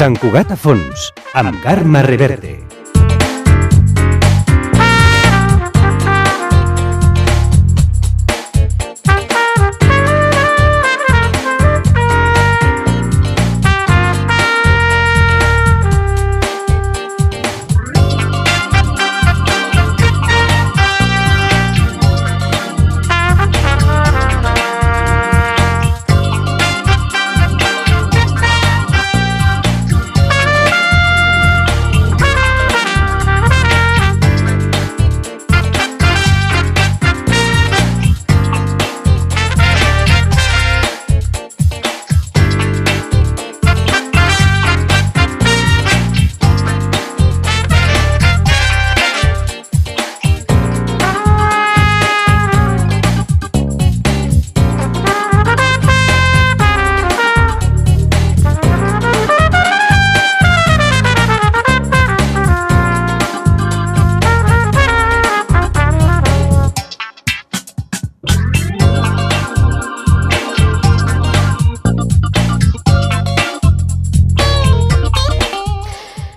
Sant Cugat a fons, amb Carme Reverte.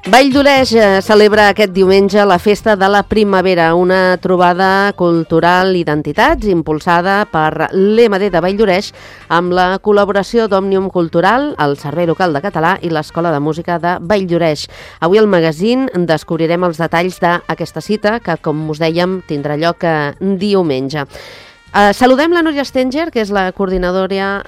Vall d'Oleix celebra aquest diumenge la Festa de la Primavera, una trobada cultural i d'entitats impulsada per l'EMD de Vall d'Oleix amb la col·laboració d'Òmnium Cultural, el Servei Local de Català i l'Escola de Música de Vall d'Oleix. Avui al magazín descobrirem els detalls d'aquesta cita que, com us dèiem, tindrà lloc diumenge. Saludem la Núria Stenger, que és la coordinadora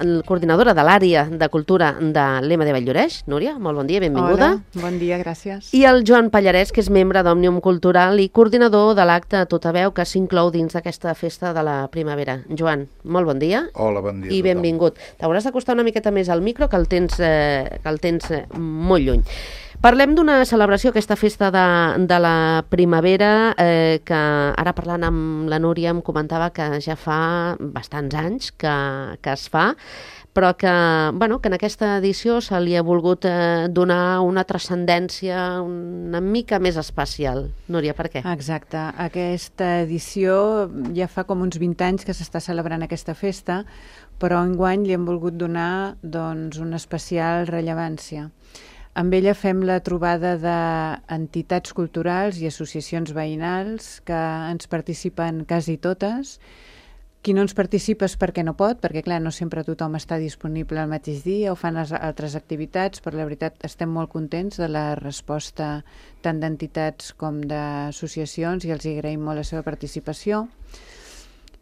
de l'àrea de cultura de l'EMD Vall d'Oleix. Núria, molt bon dia, benvinguda. Hola, bon dia, gràcies. I el Joan Pallarès, que és membre d'Òmnium Cultural i coordinador de l'acte A Tota Veu, que s'inclou dins d'aquesta festa de la primavera. Joan, molt bon dia. Hola, bon dia. I benvingut. T'hauràs d'acostar una miqueta més al micro, que el tens molt lluny. Parlem d'una celebració, aquesta festa de la primavera, que ara parlant amb la Núria em comentava que ja fa bastants anys que es fa, però que en aquesta edició se li ha volgut donar una transcendència una mica més especial. Núria, per què? Exacte. Aquesta edició ja fa com uns 20 anys que s'està celebrant aquesta festa, però enguany li hem volgut donar una especial rellevància. Amb ella fem la trobada d'entitats culturals i associacions veïnals que ens participen quasi totes. Qui no ens participa és perquè no pot, perquè clar, no sempre tothom està disponible al mateix dia o fan altres activitats, però la veritat estem molt contents de la resposta tant d'entitats com d'associacions i els agraïm molt la seva participació.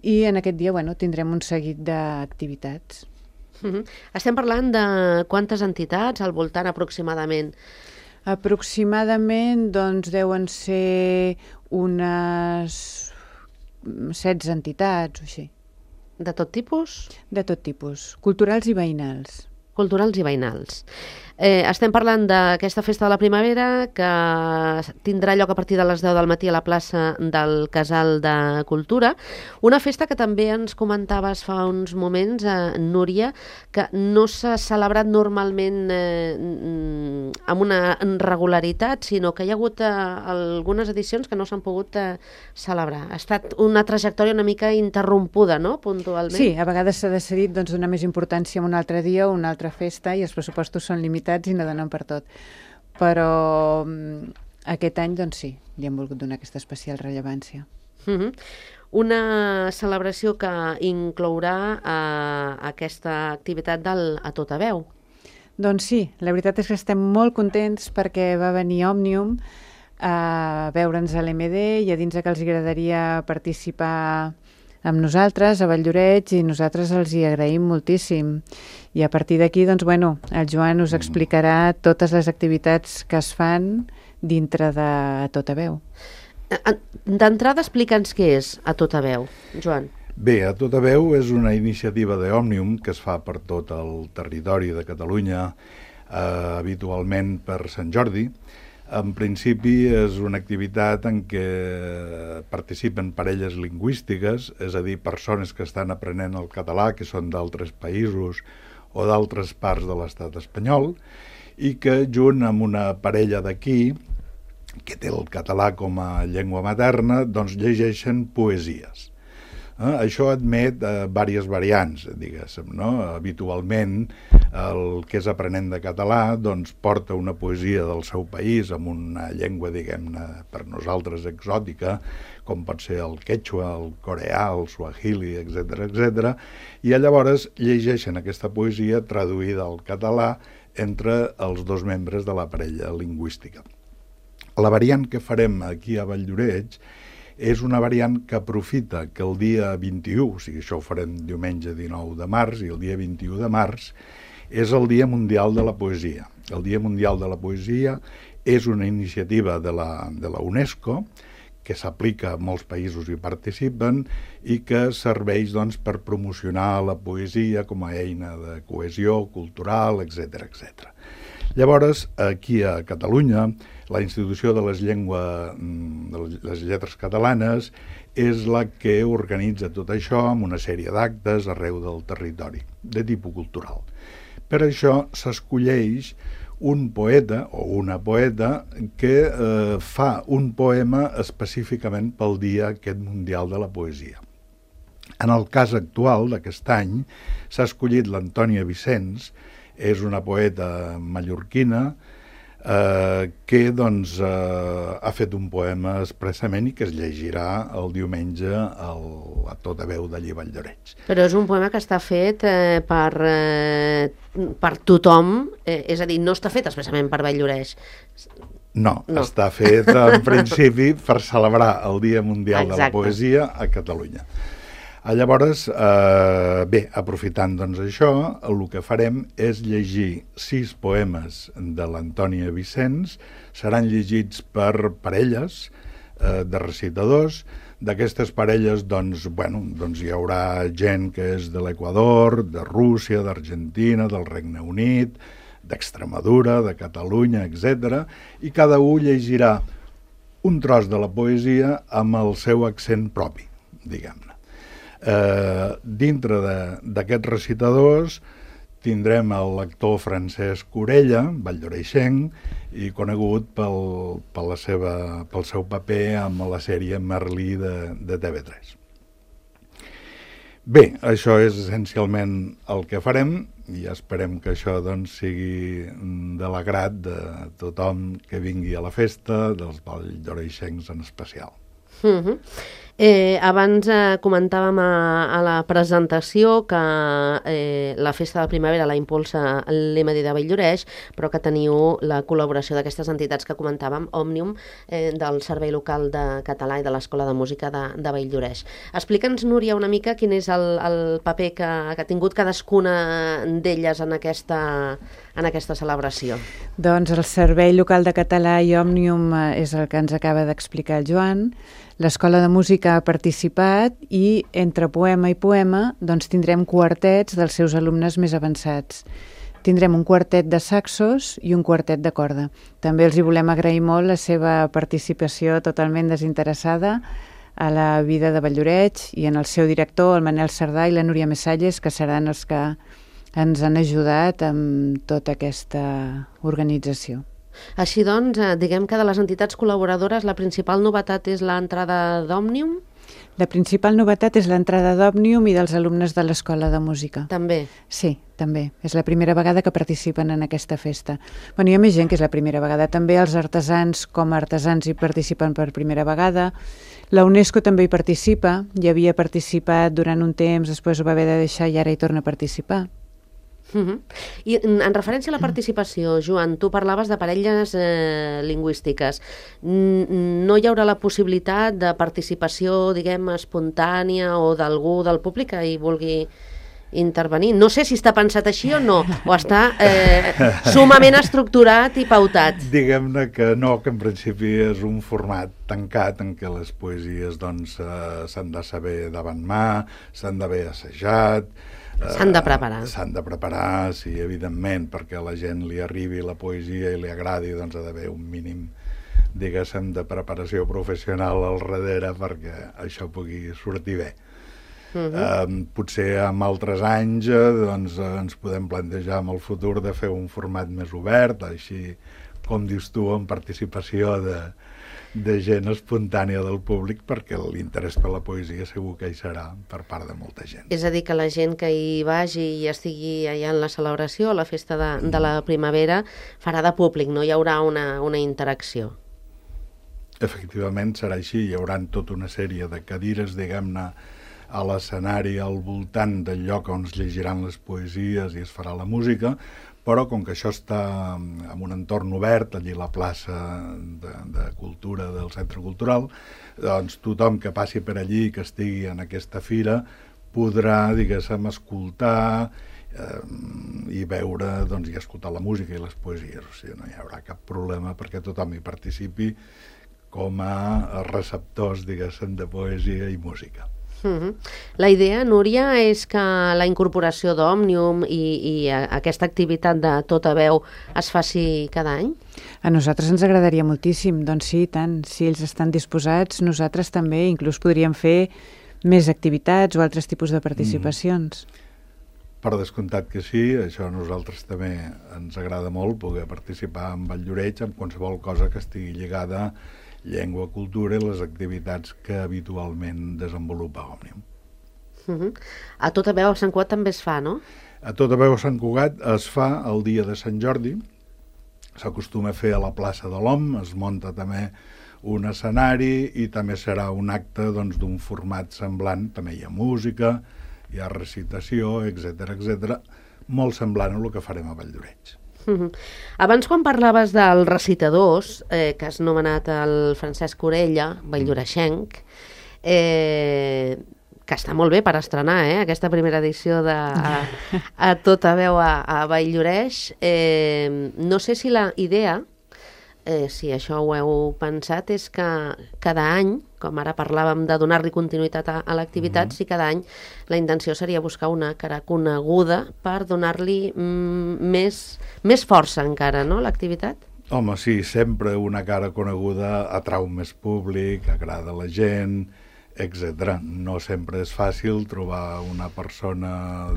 I en aquest dia tindrem un seguit d'activitats. Estem parlant de quantes entitats al voltant aproximadament? Aproximadament deuen ser unes 16 entitats o així. De tot tipus? De tot tipus, culturals i veïnals. Culturals i veïnals. Estem parlant d'aquesta festa de la primavera que tindrà lloc a partir de les 10 del matí a la plaça del Casal de Cultura. Una festa que també ens comentaves fa uns moments, Núria, que no s'ha celebrat normalment amb una regularitat, sinó que hi ha hagut algunes edicions que no s'han pogut celebrar. Ha estat una trajectòria una mica interrompuda, no?, puntualment. Sí, a vegades s'ha decidit donar més importància a un altre dia o una altra festa i els pressupostos són limitats i no donen per tot. Però aquest any, sí, li hem volgut donar aquesta especial rellevància. Una celebració que inclourà aquesta activitat del A Tota Veu. Doncs sí, la veritat és que estem molt contents perquè va venir Òmnium a veure'ns a l'EMD i a dins que els agradaria participar amb nosaltres a Vall d'Oleix i nosaltres els hi agraïm moltíssim. I a partir d'aquí, el Joan us explicarà totes les activitats que es fan dintre de A Tota Veu. D'entrada, explica'ns què és A Tota Veu, Joan. Bé, A Tota Veu és una iniciativa d'Òmnium que es fa per tot el territori de Catalunya, habitualment per Sant Jordi. En principi és una activitat en què participen parelles lingüístiques, és a dir, persones que estan aprenent el català, que són d'altres països o d'altres parts de l'estat espanyol, i que junt amb una parella d'aquí, que té el català com a llengua materna, llegeixen poesies. Això admet diverses variants, diguéssim, no? Habitualment el que és aprenent de català, doncs porta una poesia del seu país amb una llengua, diguem-ne, per nosaltres exòtica, com pot ser el quechua, el coreà, el suahili, etc. I llavors llegeixen aquesta poesia traduïda al català entre els dos membres de la parella lingüística. La variant que farem aquí a Valldoreix és una variant que aprofita que el dia 21, o sigui, això ho farem diumenge 19 de març, i el dia 21 de març és el Dia Mundial de la Poesia. El Dia Mundial de la Poesia és una iniciativa de la UNESCO que s'aplica a molts països i participen i que serveix doncs, per promocionar la poesia com a eina de cohesió cultural, etc. Llavors, aquí a Catalunya, la Institució de les Lletres Catalanes és la que organitza tot això amb una sèrie d'actes arreu del territori, de tipus cultural. Per això s'escolleix un poeta o una poeta que fa un poema específicament pel Dia aquest Mundial de la Poesia. En el cas actual d'aquest any s'ha escollit l'Antònia Vicens, és una poeta mallorquina que doncs, ha fet un poema expressament i que es llegirà el diumenge a tota veu d'allí a Valldoreix. Però és un poema que està fet per tothom, és a dir, no està fet expressament per Valldoreix. No, està fet en principi per celebrar el Dia Mundial de la Poesia a Catalunya. Llavors, bé, aprofitant doncs això, el que farem és llegir 6 poemes de l'Antònia Vicens, seran llegits per parelles de recitadors. D'aquestes parelles doncs, hi haurà gent que és de l'Equador, de Rússia, d'Argentina, del Regne Unit, d'Extremadura, de Catalunya, etc. I cada un llegirà un tros de la poesia amb el seu accent propi, diguem-ne. Dintre d'aquests recitadors tindrem el lector Francesc Orella, valldoreixenc, i conegut pel seu paper amb la sèrie Merlí de TV3. Bé, això és essencialment el que farem i esperem que això doncs, sigui de l'agrat de tothom que vingui a la festa, dels valldoreixencs en especial. Abans comentàvem a la presentació que la festa de la primavera la impulsa l'EMD de Valldoreix, però que teniu la col·laboració d'aquestes entitats que comentàvem, Òmnium, del Servei Local de Català i de l'Escola de Música de Valldoreix. Explica'ns, Núria, una mica quin és el paper que ha tingut cadascuna d'elles en aquesta celebració. Doncs el Servei Local de Català i Òmnium és el que ens acaba d'explicar el Joan. L'Escola de Música ha participat i entre poema i poema doncs, tindrem quartets dels seus alumnes més avançats. Tindrem un quartet de saxos i un quartet de corda. També els hi volem agrair molt la seva participació totalment desinteressada a la vida de Valldoreix i en el seu director, el Manel Cerdà i la Núria Messalles, que seran els que ens han ajudat amb tota aquesta organització. Així doncs, diguem que de les entitats col·laboradores la principal novetat és l'entrada d'Òmnium? La principal novetat és l'entrada d'Òmnium i dels alumnes de l'Escola de Música. També? Sí, també. És la primera vegada que participen en aquesta festa. Hi ha més gent que és la primera vegada. També els artesans com a artesans hi participen per primera vegada. La UNESCO també hi participa. Hi havia participat durant un temps, després ho va haver de deixar i ara hi torna a participar. I en referència a la participació, Joan, tu parlaves de parelles lingüístiques. No hi haurà la possibilitat de participació, diguem, espontània o d'algú del públic que hi vulgui intervenir? No sé si està pensat així o no, o està sumament estructurat i pautat. Diguem-ne que no, que en principi és un format tancat en què les poesies doncs, s'han de saber davant mà, s'han d'haver assajat, s'han de preparar. S'han de preparar, sí, evidentment, perquè a la gent li arribi la poesia i li agradi, doncs ha d'haver un mínim, diguéssim, de preparació professional al darrere perquè això pugui sortir bé. Potser en altres anys doncs, ens podem plantejar en el futur de fer un format més obert, així com dius tu, amb participació de gent espontània del públic, perquè l'interès per la poesia segur que hi serà per part de molta gent. És a dir, que la gent que hi vagi i estigui allà en la celebració, a la festa de la primavera, farà de públic, no hi haurà una interacció. Efectivament serà així, hi haurà tota una sèrie de cadires, diguem-ne, a l'escenari al voltant del lloc on es llegiran les poesies i es farà la música, però com que això està en un entorn obert, allí a la plaça de cultura del Centre Cultural, doncs tothom que passi per allí, que estigui en aquesta fira, podrà, diguéssim, escoltar i veure, doncs, i escoltar la música i les poesies. O sigui, no hi haurà cap problema perquè tothom hi participi com a receptors, diguéssim, de poesia i música. La idea, Núria, és que la incorporació d'Òmnium i aquesta activitat de tota veu es faci cada any? A nosaltres ens agradaria moltíssim, doncs sí, tant. Si ells estan disposats, nosaltres també, inclús podríem fer més activitats o altres tipus de participacions. Per descomptat que sí, això a nosaltres també ens agrada molt, poder participar en Valldoreix, en qualsevol cosa que estigui lligada a llengua, cultura i les activitats que habitualment desenvolupa Òmnium. A Tota Veu a Sant Cugat també es fa, no? A Tota Veu a Sant Cugat es fa el dia de Sant Jordi, s'acostuma a fer a la plaça de l'Om, es munta també un escenari i també serà un acte d'un format semblant, també hi ha música, hi ha recitació, etc, molt semblant a el que farem a Valldoreix. Abans, quan parlaves dels recitadors, que has nomenat el Francesc Orella, valldoreixenc, que està molt bé per estrenar aquesta primera edició de a Tota Veu a Valldoreix. No sé si la idea, si això ho heu pensat, és que cada any, com ara parlàvem de donar-li continuïtat a l'activitat, si cada any la intenció seria buscar una cara coneguda per donar-li més força encara, no?, l'activitat? Home, sí, sempre una cara coneguda atrau més públic, agrada a la gent, etc. No sempre és fàcil trobar una persona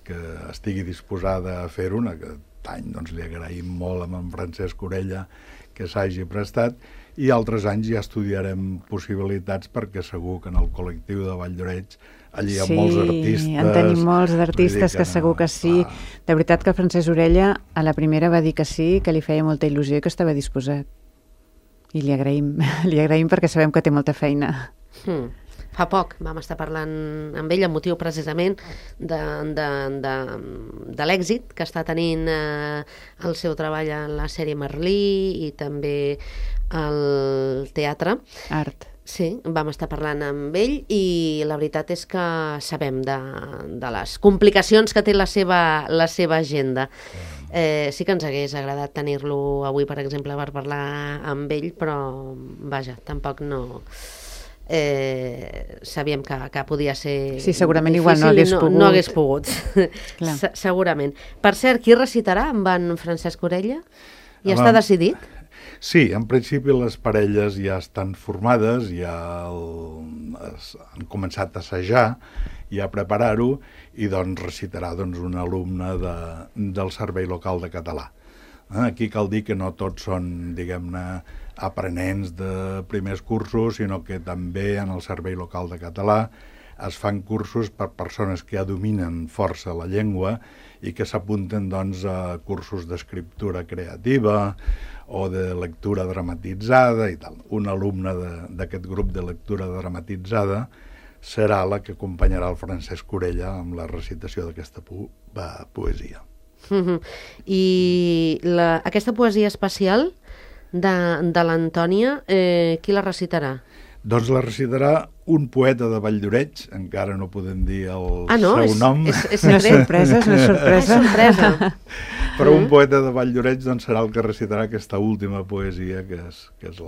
que estigui disposada a fer-ho. Aquest any li agraïm molt a en Francesc Orella que s'hagi prestat, i altres anys ja estudiarem possibilitats, perquè segur que en el col·lectiu de Valldoreix allí hi ha molts artistes. Sí, en tenim molts d'artistes que segur que sí. De veritat que el Francesc Orella a la primera va dir que sí, que li feia molta il·lusió i que estava disposat. I li agraïm perquè sabem que té molta feina. Fa poc vam estar parlant amb ell amb motiu precisament de l'èxit que està tenint el seu treball en la sèrie Merlí i també al teatre. Art. Sí, vam estar parlant amb ell i la veritat és que sabem de les complicacions que té la seva agenda. Sí que ens hagués agradat tenir-lo avui, per exemple, per parlar amb ell, però vaja, tampoc no... sabíem que podia ser sí, segurament difícil, igual no hagués pogut. Segurament. Per cert, qui recitarà amb en Francesc Orella? Ja està decidit? Sí, en principi les parelles ja estan formades, ja han començat a assajar i a preparar-ho, i recitarà un alumne del Servei Local de Català. Aquí cal dir que no tots són, diguem-ne, aprenents de primers cursos, sinó que també en el Servei Local de Català es fan cursos per persones que ja dominen força la llengua i que s'apunten a cursos d'escriptura creativa o de lectura dramatitzada i tal. Un alumne d'aquest grup de lectura dramatitzada serà la que acompanyarà el Francesc Orella amb la recitació d'aquesta poesia. I aquesta poesia especial de l'Antònia, qui la recitarà? Doncs la recitarà un poeta de Valldoreix, encara no podem dir el seu nom. És sorpresa, és una sorpresa. sorpresa. Però un poeta de Valldoreix serà el que recitarà aquesta última poesia, que és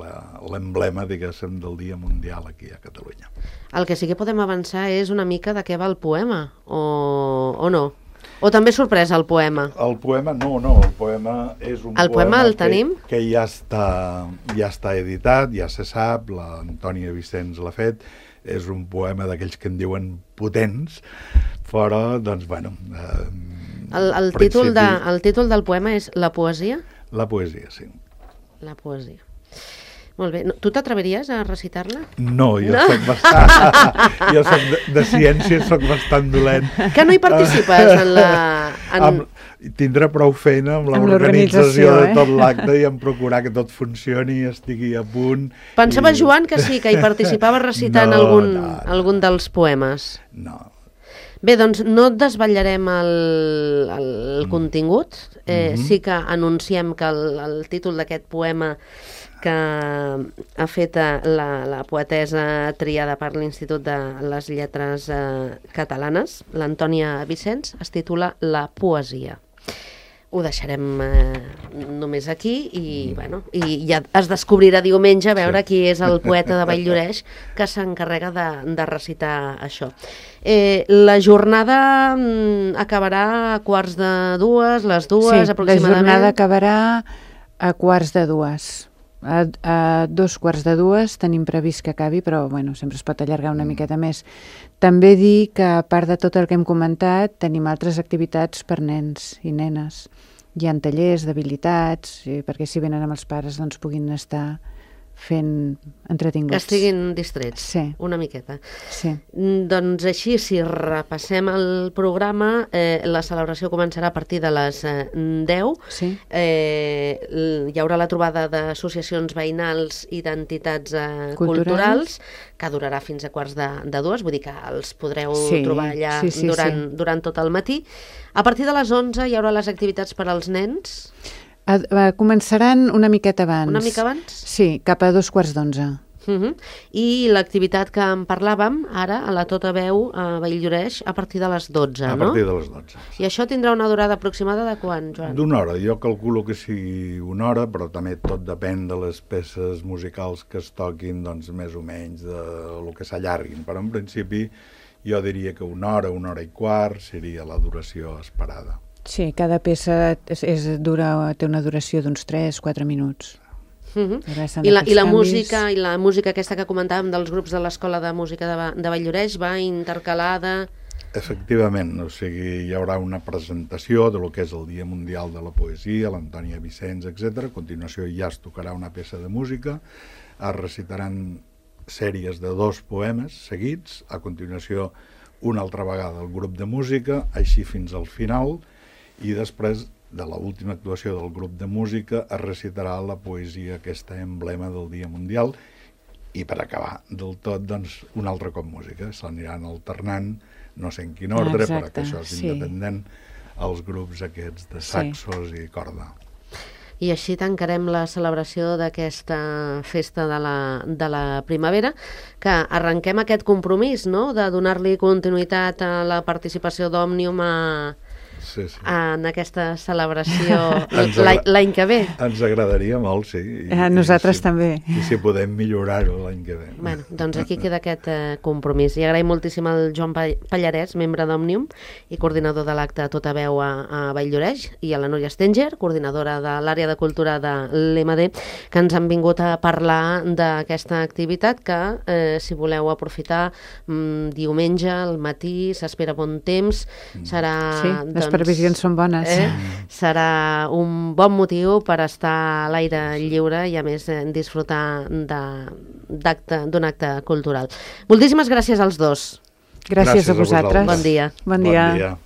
l'emblema, diguéssim, del Dia Mundial aquí a Catalunya. El que sí que podem avançar és una mica de què va el poema, o no? O també sorpresa el poema? El poema no, el poema és un poema el tenim? Que ja està editat, ja se sap, l'Antònia Vicenç l'ha fet, és un poema d'aquells que en diuen potents, però, bueno... El títol del poema és La poesia? La poesia, sí. La poesia. Molt bé. Tu t'atreviries a recitar-la? No, jo soc bastant... jo soc de ciències, soc bastant dolent. Que no hi participes en la... Tindré prou feina amb l'organització de tot l'acte i en procurar que tot funcioni i estigui a punt. Pensava, Joan, que sí, que hi participava recitant algun dels poemes. No. Bé, doncs no et desvetllarem el contingut. Sí que anunciem que el títol d'aquest poema que ha fet la poetessa triada per l'Institut de les Lletres Catalanes, l'Antònia Vicens, es titula La poesia. Ho deixarem només aquí i ja es descobrirà diumenge a veure qui és el poeta de Vall-lloreix que s'encarrega de recitar això. La jornada acabarà a 1:45, les 2 aproximadament. Sí, la jornada acabarà a 1:45. A 2:45 tenim previst que acabi, però sempre es pot allargar una miqueta més. També dir que, a part de tot el que hem comentat, tenim altres activitats per nens i nenes. Hi ha tallers d'habilitats, perquè si venen amb els pares doncs puguin estar fent entretinguts. Que estiguin distrets, sí. Una miqueta. Sí. Doncs així, si repassem el programa, la celebració començarà a partir de les 10. Sí. Hi haurà la trobada d'associacions veïnals i d'entitats culturals, que durarà fins a 1:45, vull dir que els podreu trobar allà durant tot el matí. A partir de les 11 hi haurà les activitats per als nens. Començaran una miqueta abans. Una mica abans? Sí, cap a 2:45. I l'activitat que en parlàvem ara, a la Tota Veu, a Vall-lloreix, a partir de les 12, no? A partir de les 12. I això tindrà una durada aproximada de quan, Joan? D'una hora. Jo calculo que sigui una hora, però també tot depèn de les peces musicals que es toquin, doncs més o menys del que s'allarguin. Però en principi jo diria que una hora i quart seria la duració esperada. Sí, cada peça té una duració d'uns 3-4 minuts. I la música aquesta que comentàvem dels grups de l'Escola de Música de Vall-lloreix va intercalada... Efectivament, o sigui, hi haurà una presentació de lo que és el Dia Mundial de la Poesia, l'Antònia Vicens, etc. A continuació ja es tocarà una peça de música, es recitaran sèries de 2 poemes seguits, a continuació una altra vegada el grup de música, així fins al final, i després de l'última actuació del grup de música es recitarà la poesia, aquesta emblema del Dia Mundial, i per acabar del tot, doncs, un altre cop música. S'aniran alternant, no sé en quin ordre, perquè això és independent, els grups aquests de saxos i corda. I així tancarem la celebració d'aquesta festa de la primavera, que arrenquem aquest compromís, no?, de donar-li continuïtat a la participació d'Òmnium en aquesta celebració l'any que ve. Ens agradaria molt, sí. Nosaltres també. I si podem millorar-ho l'any que ve. Bueno, doncs aquí queda aquest compromís. I agraïm moltíssim al Joan Pallarès, membre d'Òmnium i coordinador de l'acte Tota Veu a Vall-lloreix, i a la Núria Stenger, coordinadora de l'àrea de cultura de l'EMD, que ens han vingut a parlar d'aquesta activitat que, si voleu aprofitar, diumenge al matí s'espera bon temps, serà... Sí, les previsions són bones. Serà un bon motiu per estar a l'aire lliure i, a més, disfrutar d'un acte cultural. Moltíssimes gràcies als dos. Gràcies a vosaltres. Bon dia. Bon dia.